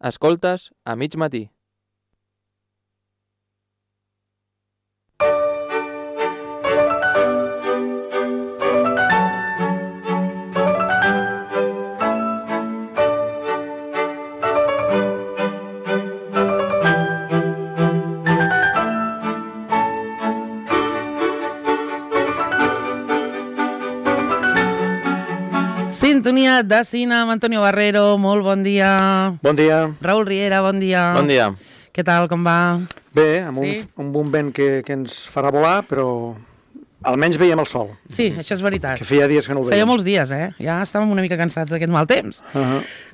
Escoltes a mig matí. Sintonia de cine amb Antonio Barrero, molt bon dia. Bon dia. Raül Riera, bon dia. Bon dia. Què tal, com va? Bé, amb un bon vent que ens farà volar, però almenys veiem el sol. Sí, això és veritat. Que feia dies que no el veiem. Feia molts dies, Ja estàvem una mica cansats d'aquest mal temps.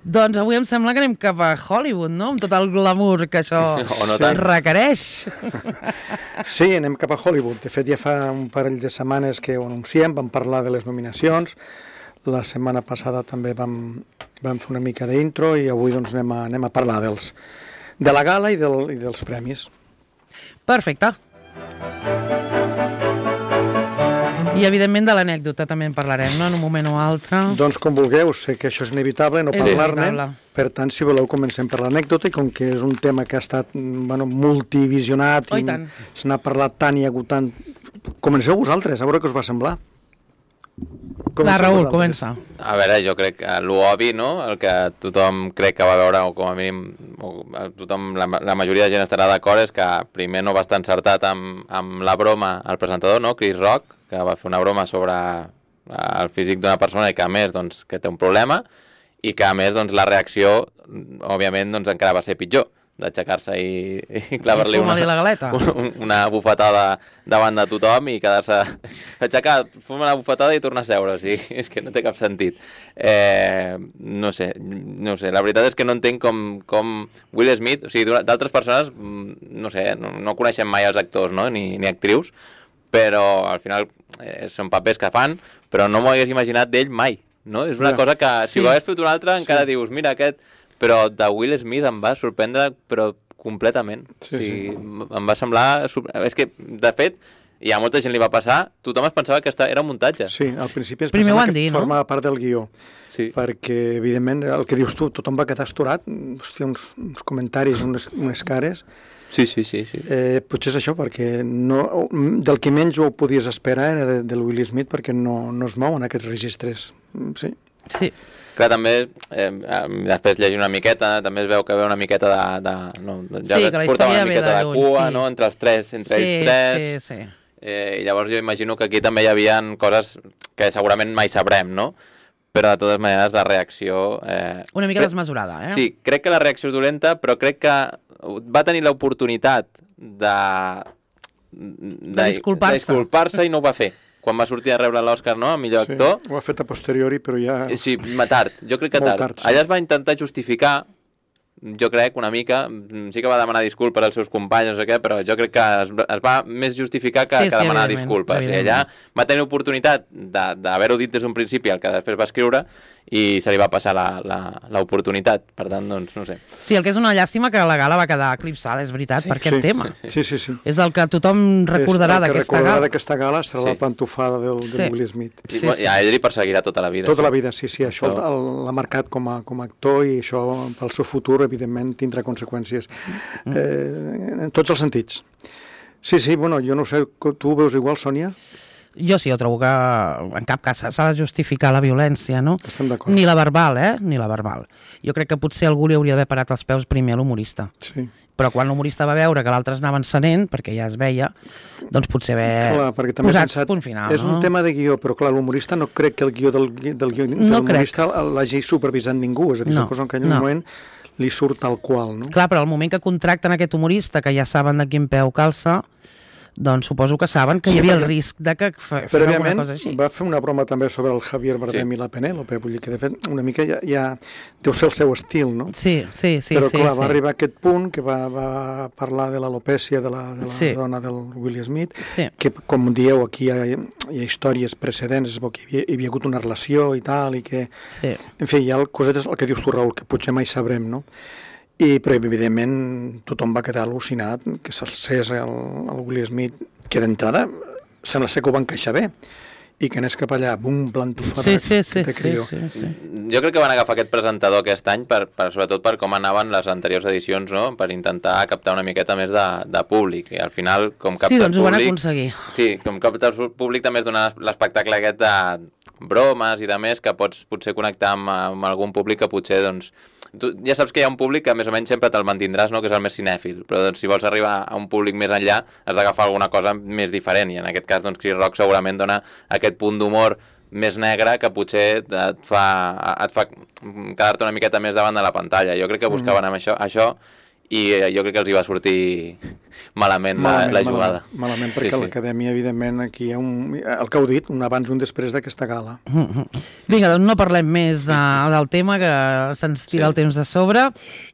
Doncs avui em sembla que anem cap a Hollywood, no? Amb tot el glamour que això requereix. Sí, anem cap a Hollywood. De fet, ja fa un parell de setmanes que ho anunciem, vam parlar de les nominacions. La setmana passada també vam fer una mica d'intro i avui doncs, anem a parlar de la gala i dels premis. Perfecte. I evidentment de l'anècdota també en parlarem, no?, en un moment o altre. Doncs com vulgueu, sé que això és inevitable, no parlar-ne. Per tant, si voleu, comencem per l'anècdota i com que és un tema que ha estat multivisionat i se n'ha parlat tant i ha hagut tant... Comenceu vosaltres, a veure què us va semblar. Va, Raül, comença. A veure, jo crec que l'obvi, no?, el que tothom crec que va veure, o com a mínim tothom, la majoria de gent estarà d'acord, és que primer no va estar encertat amb la broma el presentador, no?, Chris Rock, que va fer una broma sobre el físic d'una persona i que a més doncs, que té un problema i que a més doncs, la reacció òbviament doncs, encara va ser pitjor, d'aixecar-se i clavar-li una bufetada davant de tothom i quedar-se aixecar, fumar una bufetada i tornar a seure, o sigui, és que no té cap sentit. No sé, la veritat és que no entenc com Will Smith, o sigui, d'altres persones, no sé, no coneixem mai els actors, no?, ni actrius, però al final són papers que fan, però no m'ho hagués imaginat d'ell mai, no? És una cosa que si ho hagués fet un altre encara dius, mira aquest... Però de Will Smith em va sorprendre, però completament. Em va semblar... És que, de fet, i a molta gent li va passar, tothom es pensava que era un muntatge. Sí, al principi es pensava que formava part del guió. Sí. Perquè, evidentment, el que dius tu, tothom va quedar estorat, hòstia, uns comentaris, unes cares... Sí. Potser és això, perquè del que menys ho podies esperar era del Will Smith, perquè no es mouen aquests registres. Sí. Clar, també, després llegir una miqueta, també es veu que ve una miqueta portava una miqueta de cua, no?, entre ells tres. Sí. I llavors jo imagino que aquí també hi havia coses que segurament mai sabrem, no? Però de totes maneres la reacció... Una mica desmesurada, Sí, crec que la reacció és dolenta, però crec que va tenir l'oportunitat de disculpar-se i no ho va fer. Quan va sortir a rebre l'Òscar, no?, a millor actor. Ho ha fet a posteriori, però ja... Sí, tard, jo crec que tard. Allà es va intentar justificar, jo crec, una mica, sí que va demanar disculpes als seus companys, no sé què, però jo crec que es va més justificar que demanar disculpes. I allà va tenir l'oportunitat d'haver-ho dit des d'un principi, el que després va escriure, i se li va passar l'oportunitat. Per tant, doncs, no sé. Sí, el que és una llàstima que la gala va quedar eclipsada, és veritat, per aquest tema. Sí. És el que tothom recordarà d'aquesta gala. El que recordarà d'aquesta gala serà la pantufada del Will Smith. I a ell li perseguirà tota la vida. Tota la vida, sí. Això l'ha marcat com a actor i això pel seu futur, evidentment, tindrà conseqüències en tots els sentits. Sí, bueno, jo no sé, tu ho veus igual, Sònia? Jo sí, jo trobo que en cap cas s'ha de justificar la violència, no? Estem d'acord. Ni la verbal, ni la verbal. Jo crec que potser algú li hauria d'haver parat els peus primer a l'humorista. Sí. Però quan l'humorista va veure que l'altre es anava encenent, perquè ja es veia, doncs potser haver posat punt final. És un tema de guió, però clar, l'humorista no crec que el guió del humorista l'hagi supervisat ningú. És a dir, suposo que en aquell moment li surt tal qual, no? Clar, però al moment que contracten aquest humorista, que ja saben de quin peu calça, doncs suposo que saben que hi havia el risc de que fes alguna cosa així. Va fer una broma també sobre el Javier Bardem i la Penèlope, vull dir que de fet una mica ja deu ser el seu estil, no? Sí. Però clar, va arribar a aquest punt que va parlar de l'alopècia de la dona del Will Smith, que com dieu aquí hi ha històries precedents, es veu que hi havia hagut una relació i tal, i que... En fi, hi ha cosetes, el que dius tu, Raül, que potser mai sabrem, no? Però evidentment tothom va quedar al·lucinat que s'alcés el Will Smith, que d'entrada sembla ser que ho va encaixar bé, i que anés cap allà, bum, plantofada, sí. Jo crec que van agafar aquest presentador aquest any sobretot per com anaven les anteriors edicions, no? Per intentar captar una miqueta més de públic, i al final, com capta el públic... Sí, doncs ho van aconseguir. Sí, com capta el públic també és donar l'espectacle aquest de bromes i de més, que pots potser connectar amb algun públic que potser, doncs... Tu ja saps que hi ha un públic que més o menys sempre te'l mantindràs, no? Que és el més cinèfil, però doncs, si vols arribar a un públic més enllà has d'agafar alguna cosa més diferent, i en aquest cas doncs, Chris Rock segurament dona aquest punt d'humor més negre que potser et fa quedar-te una miqueta més davant de la pantalla. Jo crec que buscaven amb això i jo crec que els hi va sortir malament la jugada. Malament, perquè a l'Acadèmia, evidentment, aquí hi ha el que heu dit, un abans i un després d'aquesta gala. Vinga, doncs no parlem més del tema, que se'ns tira el temps de sobre,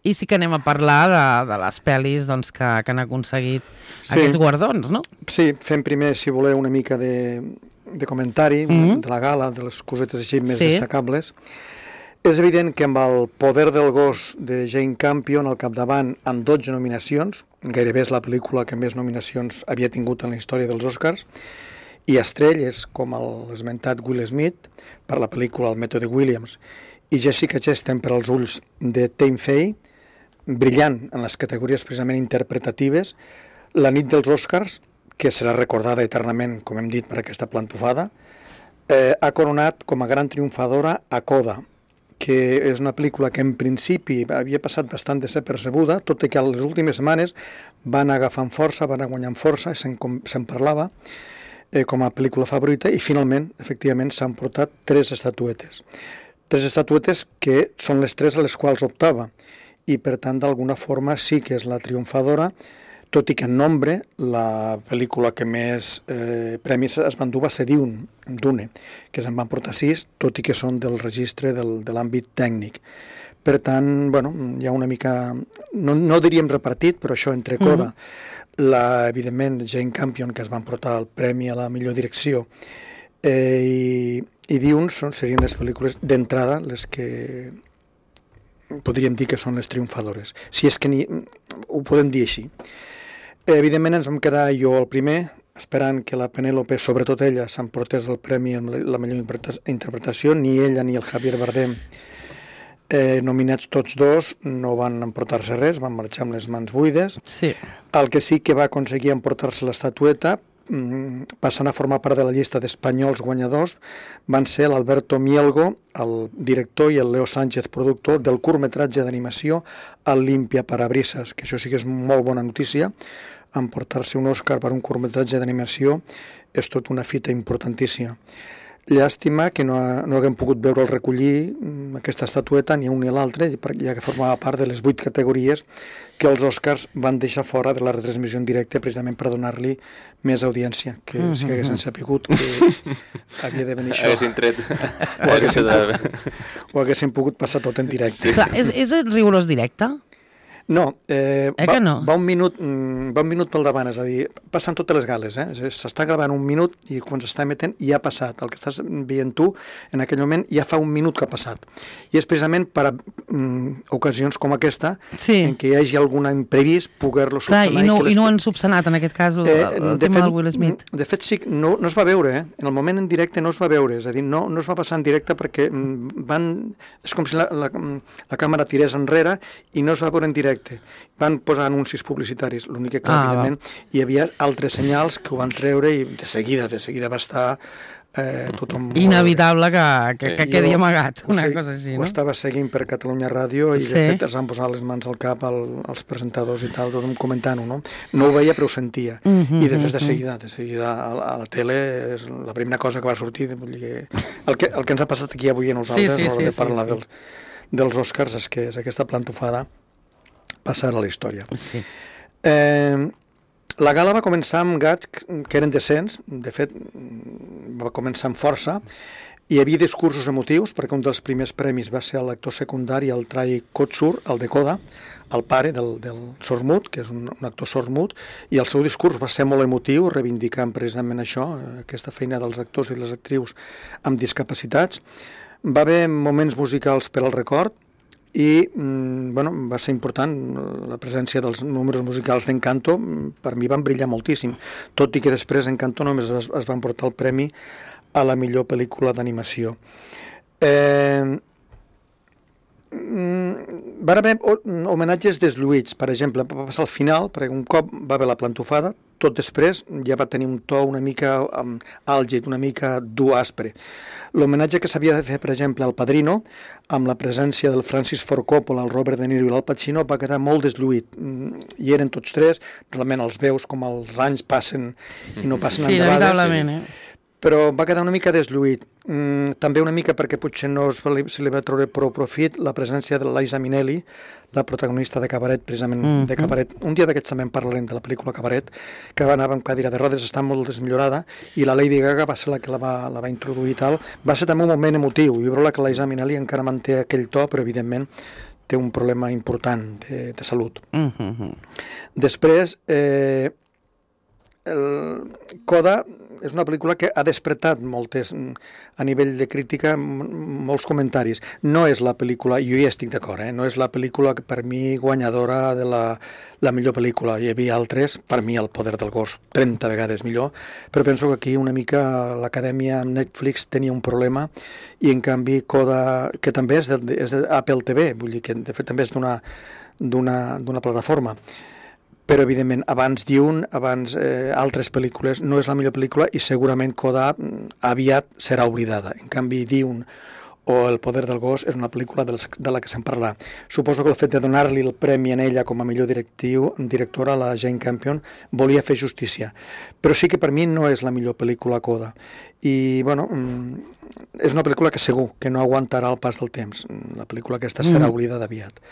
i sí que anem a parlar de les pel·lis doncs, que han aconseguit aquests guardons, no? Sí, fem primer, si voleu, una mica de comentari de la gala, de les cosetes així més destacables. És evident que amb el Poder del gos de Jane Campion al capdavant amb 12 nominacions, gairebé és la pel·lícula que més nominacions havia tingut en la història dels Oscars, i estrelles com l'esmentat Will Smith per la pel·lícula El mètode Williams i Jessica Chastain per als ulls de Tammy Faye, brillant en les categories precisament interpretatives, la nit dels Oscars, que serà recordada eternament, com hem dit, per aquesta plantofada, ha coronat com a gran triomfadora a Coda, que és una pel·lícula que en principi havia passat bastant desapercebuda, tot i que a les últimes setmanes van agafant força, van guanyant força, se'n parlava com a pel·lícula favorita, i finalment, efectivament, s'han portat 3 estatuetes. 3 estatuetes que són les 3 a les quals optava, i per tant, d'alguna forma, sí que és la triomfadora, tot i que en nombre la pel·lícula que més premis es va endur va ser Dune, que se'n van portar 6, tot i que són del registre de l'àmbit tècnic. Per tant, bueno, hi ha una mica, no diríem repartit, però això entre Coda, evidentment Jane Campion, que es van portar el premi a la millor direcció, i Dune serien les pel·lícules d'entrada les que podríem dir que són les triomfadores, si és que ho podem dir així. Evidentment ens vam quedar jo el primer, esperant que la Penélope, sobretot ella, s'emportés el premi en la millor interpretació. Ni ella ni el Javier Bardem, nominats tots dos, no van emportar-se res, van marxar amb les mans buides. Sí. El que sí que va aconseguir emportar-se l'estatueta, passant a formar part de la llista d'espanyols guanyadors, van ser l'Alberto Mielgo, el director, i el Leo Sánchez, productor del curtmetratge d'animació El Limpia Parabrisas, que això sí que és molt bona notícia. Emportar-se un Òscar per un curtmetratge d'animació és tot una fita importantíssima. Llàstima que no haguem pogut veure el recollir aquesta estatueta, ni un ni l'altre, ja que formava part de les 8 categories que els Oscars van deixar fora de la retransmissió en directe, precisament per donar-li més audiència, que si haguessin sapigut que havia de venir això, ho haguessin pogut passar tot en directe. Clar, és rigorós directe? No, va un minut pel davant, és a dir, passen totes les gales, s'està gravant un minut i quan s'està emetent ja ha passat, el que estàs veient tu en aquell moment ja fa un minut que ha passat, i és precisament per a ocasions com aquesta en què hi hagi algun imprevist poder-lo subsanar. I no han subsanat en aquest cas el tema del Will Smith. De fet sí, no es va veure, en el moment en directe no es va veure, és a dir, no es va passar en directe perquè és com si la càmera tirés enrere i no es va veure en directe. Van posar anuncis publicitaris, l'únic que evidentment hi havia altres senyals que ho van treure i de seguida va estar tothom... Inevitable que quedi amagat, una cosa així, no? Ho estava seguint per Catalunya Ràdio i de fet es van posar les mans al cap als presentadors i tal, tothom comentant-ho, no? No ho veia però ho sentia, i després de seguida a la tele és la primera cosa que va sortir, el que ens ha passat aquí avui a nosaltres a l'hora de parlar dels Oscars és que és aquesta plantofada passar a la història. Sí. La gala va començar amb gats que eren decents, de fet va començar amb força, hi havia discursos emotius, perquè un dels primers premis va ser l'actor secundari, el Trai Kotsur, el de Coda, el pare del sordmut, que és un actor sordmut, i el seu discurs va ser molt emotiu, reivindicant precisament això, aquesta feina dels actors i les actrius amb discapacitats. Va haver moments musicals per al record, i va ser important la presència dels números musicals d'Encanto, per mi van brillar moltíssim, tot i que després Encanto només es van portar el premi a la millor pel·lícula d'animació. Van haver homenatges desluïts, per exemple, va passar al final, perquè un cop va haver la plantofada, tot després ja va tenir un to una mica àlgid, una mica dur, aspre. L'homenatge que s'havia de fer, per exemple, al Padrino, amb la presència del Francis Ford Coppola, el Robert De Niro i l'Al Pacino, va quedar molt desluït. Hi eren tots tres, realment els veus com els anys passen i no passen endavades. Sí, veritablement, però va quedar una mica desluït. També una mica perquè potser no se li va treure prou profit la presència de l'Eliza Minnelli, la protagonista de Cabaret, precisament de Cabaret. Un dia d'aquests també en parlarem de la pel·lícula Cabaret, que va anar amb cadira de rodes, està molt desmillorada, i la Lady Gaga va ser la que la va introduir i tal. Va ser també un moment emotiu, i veure que l'Eliza Minnelli encara manté aquell to, però evidentment té un problema important de salut. Després, Coda és una pel·lícula que ha despertat moltes, a nivell de crítica, molts comentaris. No és la pel·lícula, jo hi estic d'acord, no és la pel·lícula que per mi guanyadora de la millor pel·lícula. Hi havia altres, per mi El poder del gos 30 vegades millor, però penso que aquí una mica l'acadèmia amb Netflix tenia un problema i en canvi Coda, que també és d'Apple TV, vull dir que de fet també és d'una plataforma, però evidentment abans Dune, abans altres pel·lícules, no és la millor pel·lícula i segurament Coda aviat serà oblidada. En canvi Dune o El poder del gos és una pel·lícula de la que se'n parla. Suposo que el fet de donar-li el premi en ella com a millor directora, la Jane Campion, volia fer justícia. Però sí que per mi no és la millor pel·lícula Coda. I, bueno, és una pel·lícula que segur que no aguantarà el pas del temps. La pel·lícula aquesta serà oblidada aviat.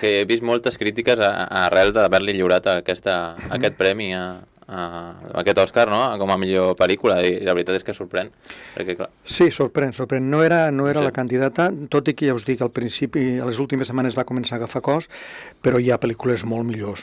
Que he vist moltes crítiques arrel d'haver-li lliurat aquest premi aquest Òscar, no?, com a millor pel·lícula, i la veritat és que sorprèn. Perquè, clar... Sí, sorprèn. No era la candidata, tot i que ja us dic, al principi, a les últimes setmanes va començar a agafar cos, però hi ha pel·lícules molt millors,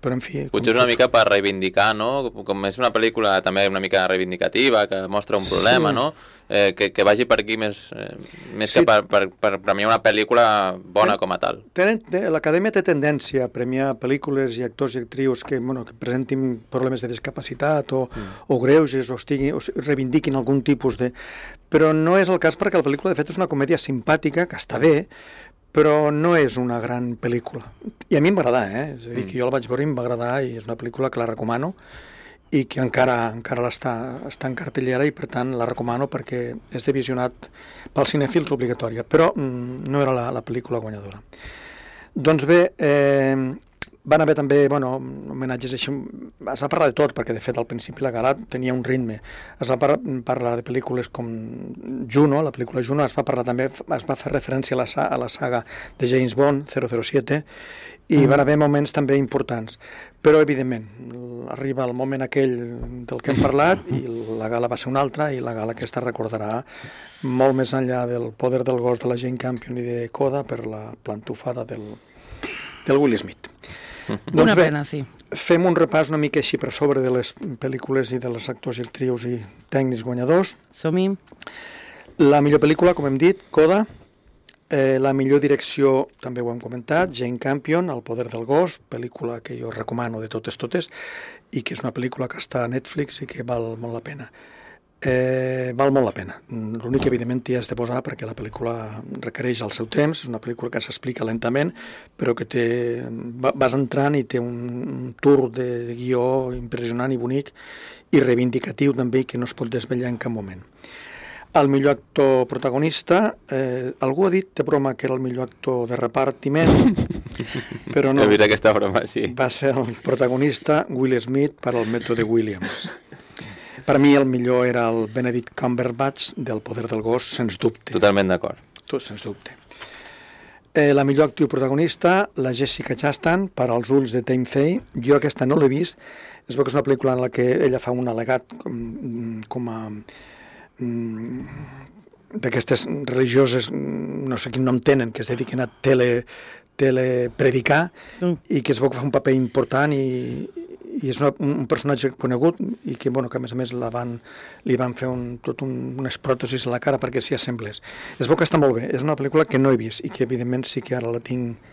però en fi... Potser és una mica per reivindicar, no?, com és una pel·lícula també una mica reivindicativa, que mostra un problema, no?, que vagi per aquí més que per premiar una pel·lícula bona com a tal. L'Acadèmia té tendència a premiar pel·lícules i actors i actrius que presentin problemes de discapacitat o greuges o reivindiquin algun tipus de... Però no és el cas perquè la pel·lícula de fet és una comèdia simpàtica, que està bé, però no és una gran pel·lícula. I a mi em va agradar, és a dir, que jo la vaig veure i em va agradar i és una pel·lícula que la recomano i que encara està en cartellera i per tant la recomano perquè és de visionat pels cinèfils obligatòria, però no era la pel·lícula guanyadora. Doncs bé, van haver també homenatges així, es va parlar de tot perquè de fet al principi la gala tenia un ritme, es va parlar de pel·lícules com Juno, la pel·lícula Juno, es va fer referència a la saga de James Bond 007 i van haver moments també importants, però evidentment arriba el moment aquell del que hem parlat i la gala va ser una altra i la gala aquesta recordarà molt més enllà del poder del gos de la Jane Campion i de Coda per la plantofada del Will Smith. Una pena, sí. Fem un repàs una mica així per sobre de les pel·lícules i de les actors i actrius i tècnics guanyadors. Som-hi. La millor pel·lícula, com hem dit, Coda. La millor direcció, també ho hem comentat, Jane Campion, El poder del gos, pel·lícula que jo recomano de totes, i que és una pel·lícula que està a Netflix i que val molt la pena. Val molt la pena. L'únic que evidentment t'hi has de posar perquè la pel·lícula requereix el seu temps, és una pel·lícula que s'explica lentament, però que vas entrant i té un tour de guió impressionant i bonic i reivindicatiu també, que no es pot desvetllar en cap moment. El millor actor protagonista, algú ha dit de broma que era el millor actor de repartiment, però no. He vist aquesta broma, sí. Va ser el protagonista Will Smith per al mètode Williams. Per mi el millor era el Benedict Cumberbatch del poder del gos, sens dubte. Totalment d'acord. Sens dubte. La millor actriu protagonista, la Jessica Chastain, per als ulls de Tammy Faye. Jo aquesta no l'he vist. Es veu que és una pel·lícula en la que ella fa un al·legat com a d'aquestes religioses, no sé quin nom tenen, que es dediquen a telepredicar i que es veu que fa un paper important i és un personatge conegut i que, que a més li van fer unes pròtesis a la cara perquè s'hi assemblés. Es veu que està molt bé, és una pel·lícula que no he vist i que evidentment sí que ara la tinc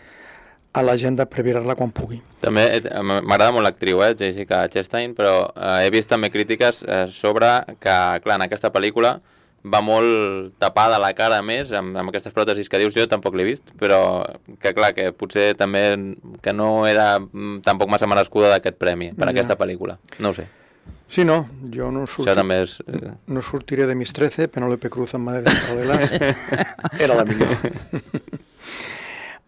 a l'agenda per veure-la quan pugui. També m'agrada molt l'actriu, Jessica Chastain, però he vist també crítiques sobre que, clar, en aquesta pel·lícula va molt tapada la cara més, amb aquestes pròtesis que dius, jo tampoc l'he vist, però que clar, que potser també que no era tampoc massa merescuda d'aquest premi per aquesta pel·lícula, no ho sé. Sí, no, jo no sortiré de mis 13, Penélope Cruz en Madres Paralelas, era la millor.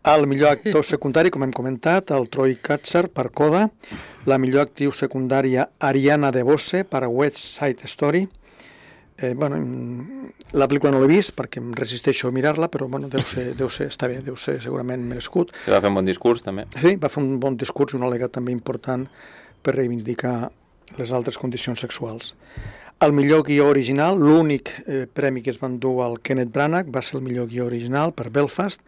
El millor actor secundari, com hem comentat, el Troy Kotsur per Coda, la millor actriu secundària Ariana DeBose per West Side Story. La pel·lícula no l'he vist perquè em resisteixo a mirar-la, però deu ser, està bé, deu ser segurament merescut. Va fer un bon discurs, també. Sí, va fer un bon discurs i un al·legat també important per reivindicar les altres condicions sexuals. El millor guió original, l'únic premi que es va endur al Kenneth Branagh va ser el millor guió original per Belfast,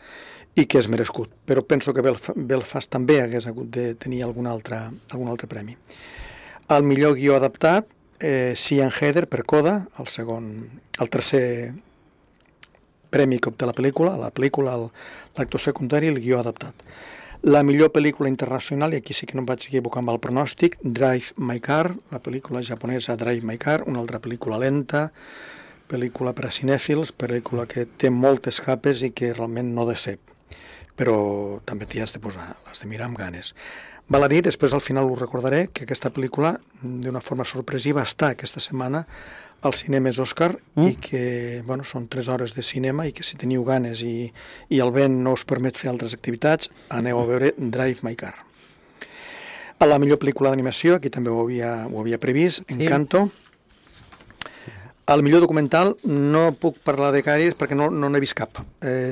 i que és merescut, però penso que Belfast també hagués hagut de tenir algun altre premi. El millor guió adaptat, Sian Heder per Coda, el tercer premi que obté la pel·lícula, l'actor secundari i el guió adaptat. La millor pel·lícula internacional, i aquí sí que no em vaig equivocar amb el pronòstic, Drive My Car, la pel·lícula japonesa Drive My Car, una altra pel·lícula lenta, pel·lícula per a cinèfils, pel·lícula que té moltes capes i que realment no decep, però també t'hi has de posar, l'has de mirar amb ganes. Val a dir, després al final ho recordaré, que aquesta pel·lícula, d'una forma sorpresiva, està aquesta setmana als cinemes Òscar i que són 3 hores de cinema i que si teniu ganes i el vent no us permet fer altres activitats, aneu a veure Drive My Car. A la millor pel·lícula d'animació, aquí també ho havia previst, Encanto. El millor documental no puc parlar de gaires perquè no n'he vist cap.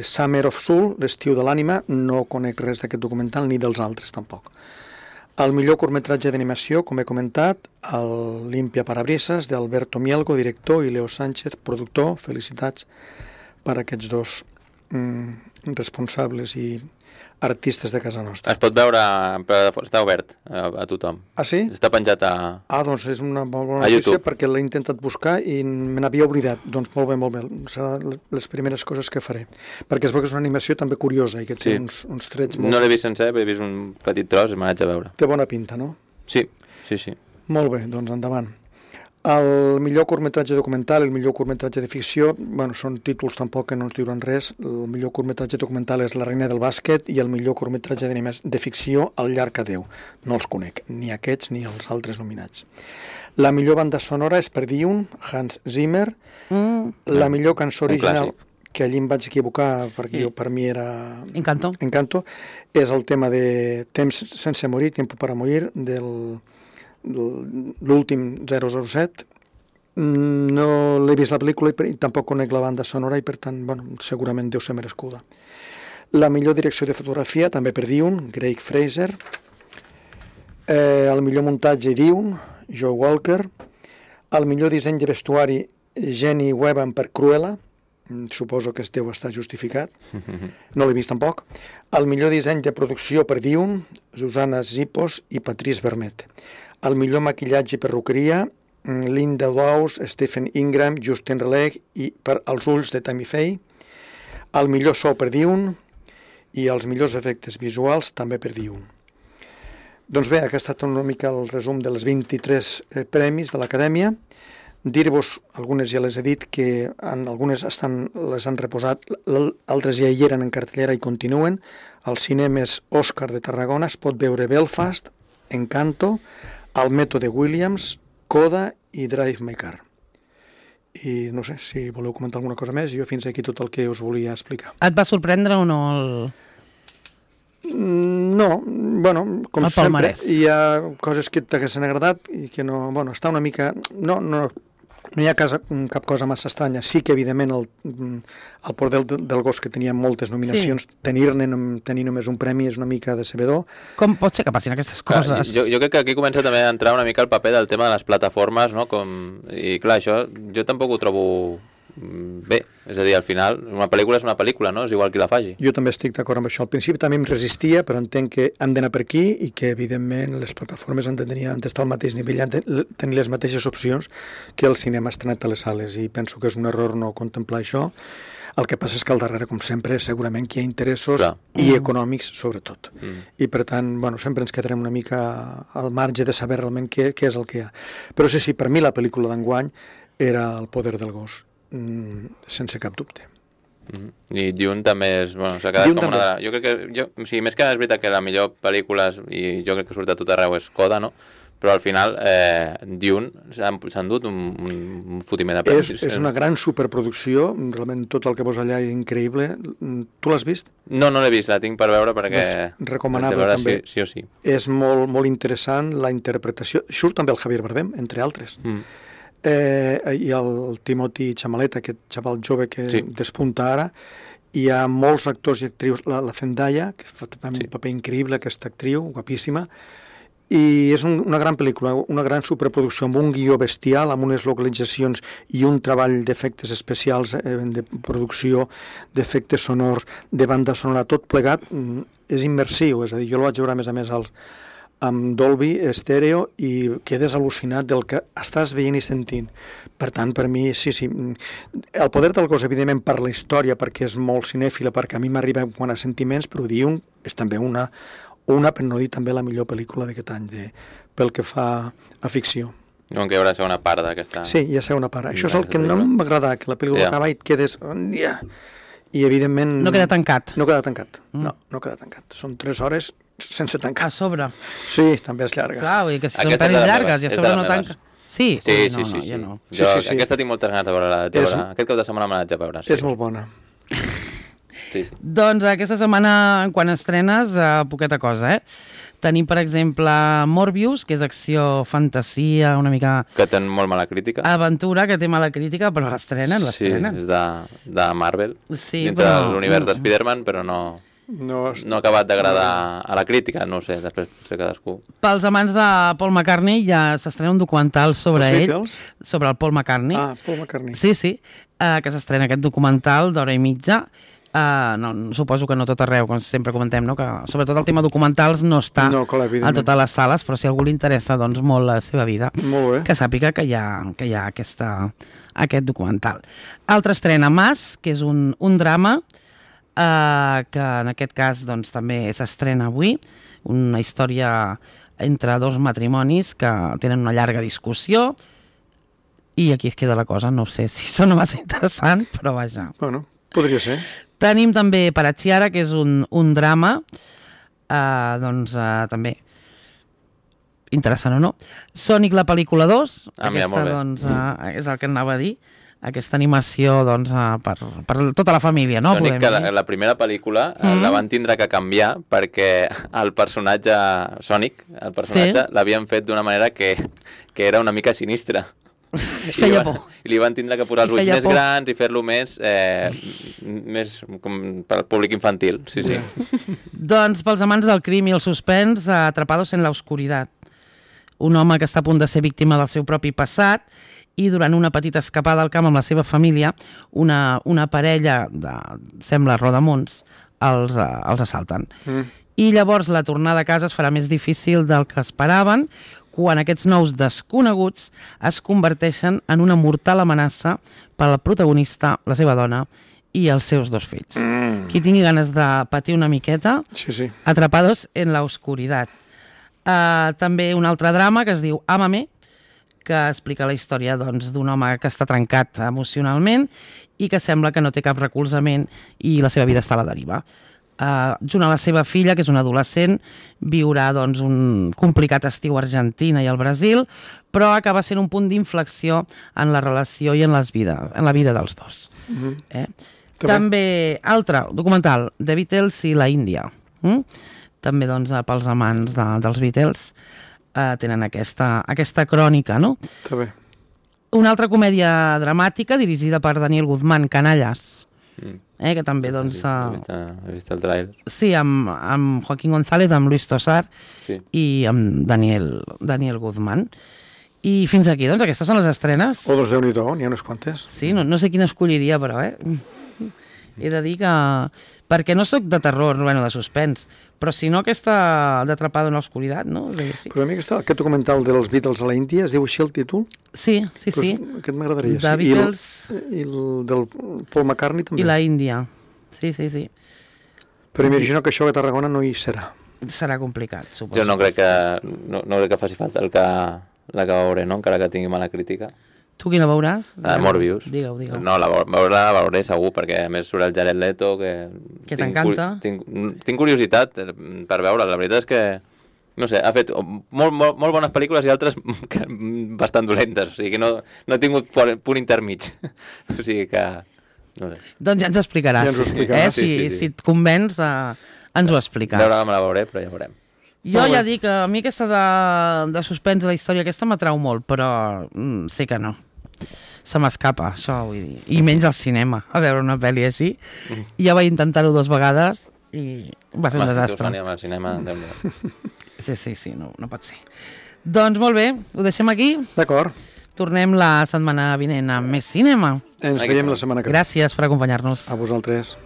Summer of Soul, l'estiu de l'ànima, no conec res d'aquest documental ni dels altres tampoc. El millor curtmetratge d'animació, com he comentat, el Limpia Parabrisas, d'Alberto Mielgo, director, i Leo Sánchez, productor. Felicitats per aquests dos responsables i artistes de casa nostra. Es pot veure, però està obert a tothom. Ah, sí? Està penjat a... Doncs és una bona notícia perquè l'he intentat buscar i me n'havia oblidat. Doncs molt bé. Serà les primeres coses que faré. Perquè es veu que és una animació també curiosa i que té uns trets molt... No l'he vist sencer, he vist un petit tros i me n'haig a veure. Té bona pinta, no? Sí. Molt bé, doncs endavant. El millor curtmetratge documental i el millor curtmetratge de ficció, són títols tampoc que no ens diuen res. El millor curtmetratge documental és La reina del bàsquet i el millor curtmetratge de ficció, El llarg adéu. No els conec, ni aquests ni els altres nominats. La millor banda sonora és per Dune, Hans Zimmer. La millor cançó original, que allí em vaig equivocar perquè per mi era... Encanto. És el tema de Temps sense morir, Tiempo para morir, l'últim 007. No l'he vist la pel·lícula i tampoc conec la banda sonora i per tant, segurament deu ser merescuda. La millor direcció de fotografia, també per Dune, Craig Fraser. El millor muntatge, Dune, Joe Walker. El millor disseny de vestuari, Jenny Webber per Cruella. Suposo que es deu estar justificat. No l'he vist tampoc. El millor disseny de producció per Dune, Susana Zipos i Patrice Vermette. El millor maquillatge i perruqueria, Linda Dawes, Stephen Ingram, Justin Roiland i per Els ulls de Tammy Faye. El millor so per Dune i els millors efectes visuals també per Dune. Doncs bé, aquest ha estat una mica el resum dels 23 premis de l'Acadèmia. Dir-vos, algunes ja les he dit, que algunes les han reposat, altres ja hi eren en cartellera i continuen. Als cinemes Òscar de Tarragona es pot veure Belfast, Encanto, El mètode Williams, Coda i Drive My Car. I no sé, si voleu comentar alguna cosa més, jo fins aquí tot el que us volia explicar. Et va sorprendre o no No, com sempre, hi ha coses que t'haguessin agradat i que no, està una mica... No hi ha cap cosa massa estranya. Sí que, evidentment, el Port del gos, que tenia moltes nominacions, tenir només un premi és una mica decebedor. Com pot ser que passin aquestes coses? Jo crec que aquí comença també a entrar una mica el paper del tema de les plataformes, no? I clar, això jo tampoc ho trobo bé. És a dir, al final, una pel·lícula és una pel·lícula, no? És igual qui la faci. Jo també estic d'acord amb això. Al principi també em resistia, però entenc que hem d'anar per aquí i que, evidentment, les plataformes han d'estar al mateix nivell, han de tenir les mateixes opcions que el cinema estrenat a les sales, i penso que és un error no contemplar això. El que passa és que al darrere, com sempre, segurament que hi ha interessos i econòmics, sobretot. I, per tant, sempre ens quedarem una mica al marge de saber realment què és el que hi ha. Però sí, per mi la pel·lícula d'enguany era El poder del gos. sense cap dubte. I Dune també s'ha quedat com una... Jo crec que, o sigui, més que és veritat que la millor pel·lícula, i jo crec que surt a tot arreu, és Coda, no? Però al final Dune s'ha endut un fotiment de premis. És una gran superproducció, realment tot el que posa allà és increïble. Tu l'has vist? No l'he vist, la tinc per veure perquè... Recomanable també. Sí o sí. És molt interessant la interpretació. Surt també el Javier Bardem, entre altres. I el Timothy Chalamet, aquest xaval jove que despunta ara. Hi ha molts actors i actrius. La Zendaya, que fa un paper increïble, aquesta actriu, guapíssima. I és una gran pel·lícula, una gran superproducció amb un guió bestial, amb unes localitzacions i un treball d'efectes especials, de producció, d'efectes sonors, de banda sonora, tot plegat és immersiu, és a dir, jo el vaig veure a més amb Dolby Stereo i quedes al·lucinat del que estàs veient i sentint. Per tant, per mi, sí. El poder del cos, evidentment, per la història, perquè és molt cinèfila, perquè a mi m'arriba quant a sentiments, però Dune és també una, per no dir també la millor pel·lícula d'aquest any, pel que fa a ficció. Com que hi haurà segona part d'aquesta... Sí, hi ha segona part. Això és el que no m'agrada, que la pel·lícula acaba i et quedes... I, evidentment... No queda tancat. No queda tancat. No queda tancat. Són 3 hores sense tancar. A sobre. Sí, també és llarga. Clar, vull dir que si són pel·lis llargues i a sobre no tanca... Sí? Sí. No. Aquesta tinc moltes ganes de veure-la. Aquest cap de setmana me l'haig de veure. És molt bona. Sí. Doncs aquesta setmana, quan estrenes, poqueta cosa, Tenim, per exemple, Morbius, que és acció, fantasia, una mica... Que té molt mala crítica. Aventura, que té mala crítica, però l'estrenen. Sí, és de Marvel, dintre de l'univers de Spider-Man, però no ha acabat d'agradar a la crítica, no ho sé, després sé cadascú. Pels amants de Paul McCartney ja s'estrena un documental sobre ell, sobre el Paul McCartney. Paul McCartney. Sí, que s'estrena aquest documental d'hora i mitja. Suposo que no tot arreu, com sempre comentem, no? Que sobretot el tema documentals no està a totes les sales, però si a algú li interessa doncs, molt la seva vida, que sàpiga que hi ha aquest documental. Altra estrena, Mas, que és un drama que en aquest cas doncs, també s'estrena avui, una història entre 2 matrimonis que tenen una llarga discussió i aquí es queda la cosa. No sé si sona massa interessant, però vaja. Bueno, podria ser. Tenim també Parachiara, que és un drama, també interessant o no. Sonic, la pel·lícula 2, aquesta doncs, és el que anava a dir, aquesta animació doncs, per tota la família, no? Sonic, que la primera pel·lícula la van tindre que canviar perquè el personatge Sonic, l'havien fet d'una manera que era una mica sinistra. Feia por. I li van tindre que posar els ulls més grans i fer-lo més com per al públic infantil. Sí. Doncs pels amants del crim i el suspens, Atrapados en la oscuridad. Un home que està a punt de ser víctima del seu propi passat i durant una petita escapada al camp amb la seva família, una parella sembla rodamons, els assalten. I llavors la tornada a casa es farà més difícil del que esperaven quan aquests nous desconeguts es converteixen en una mortal amenaça per al protagonista, la seva dona i els seus 2 fills. Qui tingui ganes de patir una miqueta, Atrapados en la oscuridad. També un altre drama que es diu Ámame, que explica la història d'un home que està trencat emocionalment i que sembla que no té cap recolzament i la seva vida està a la deriva. Junt a la seva filla, que és una adolescent, viurà un complicat estiu a Argentina i al Brasil, però acaba sent un punt d'inflexió en la relació i en la vida dels dos. També, altre documental, The Beatles i la Índia. També pels amants dels Beatles tenen aquesta crònica, no? Està bé. Una altra comèdia dramàtica dirigida per Daniel Guzmán, Canallas, que també he vist el trailer. Sí, amb Joaquín González, amb Luis Tosar i amb Daniel Guzmán. I fins aquí, doncs, aquestes són les estrenes. O Déu-n'hi-do, n'hi ha unes quantes. Sí, no sé quina escolliria, però, he de dir que... Perquè no sóc de terror, de suspens, però si no aquesta d'Atrapado en l'oscuridad, no? Sí. Però a mi aquest documental dels Beatles a la Índia, es diu així el títol? Sí. Aquest m'agradaria. The Beatles... I el del Paul McCartney també. I la Índia, sí. Però imagino que això a Tarragona no hi serà. Serà complicat, suposo. Jo no crec que faci falta la que veuré, no? Encara que tingui mala crítica. Tu quina veuràs? Morbius. Digueu. No, la veuré segur, perquè a més surt el Jared Leto, que t'encanta. Tinc curiositat per veure. La veritat és que, no sé, ha fet molt bones pel·lícules i altres bastant dolentes, o sigui que no ha tingut punt intermig. O sigui que... No sé. Doncs ja ens explicaràs. Ja ens ho explicaràs. Si et convenç, ens ho expliques. Veure, me la veuré, però ja veurem. Jo ja dic que a mi aquesta de suspens, la història aquesta m'atrau molt, però sé que no. Se m'escapa, això vull dir. I menys al cinema, a veure una pel·li així. Ja vaig intentar-ho 2 vegades i va ser un desastre. Al cinema, Sí, no pot ser. Doncs molt bé, ho deixem aquí? D'acord. Tornem la setmana vinent amb més cinema. Ens veiem la setmana que ve. Gràcies per acompanyar-nos. A vosaltres.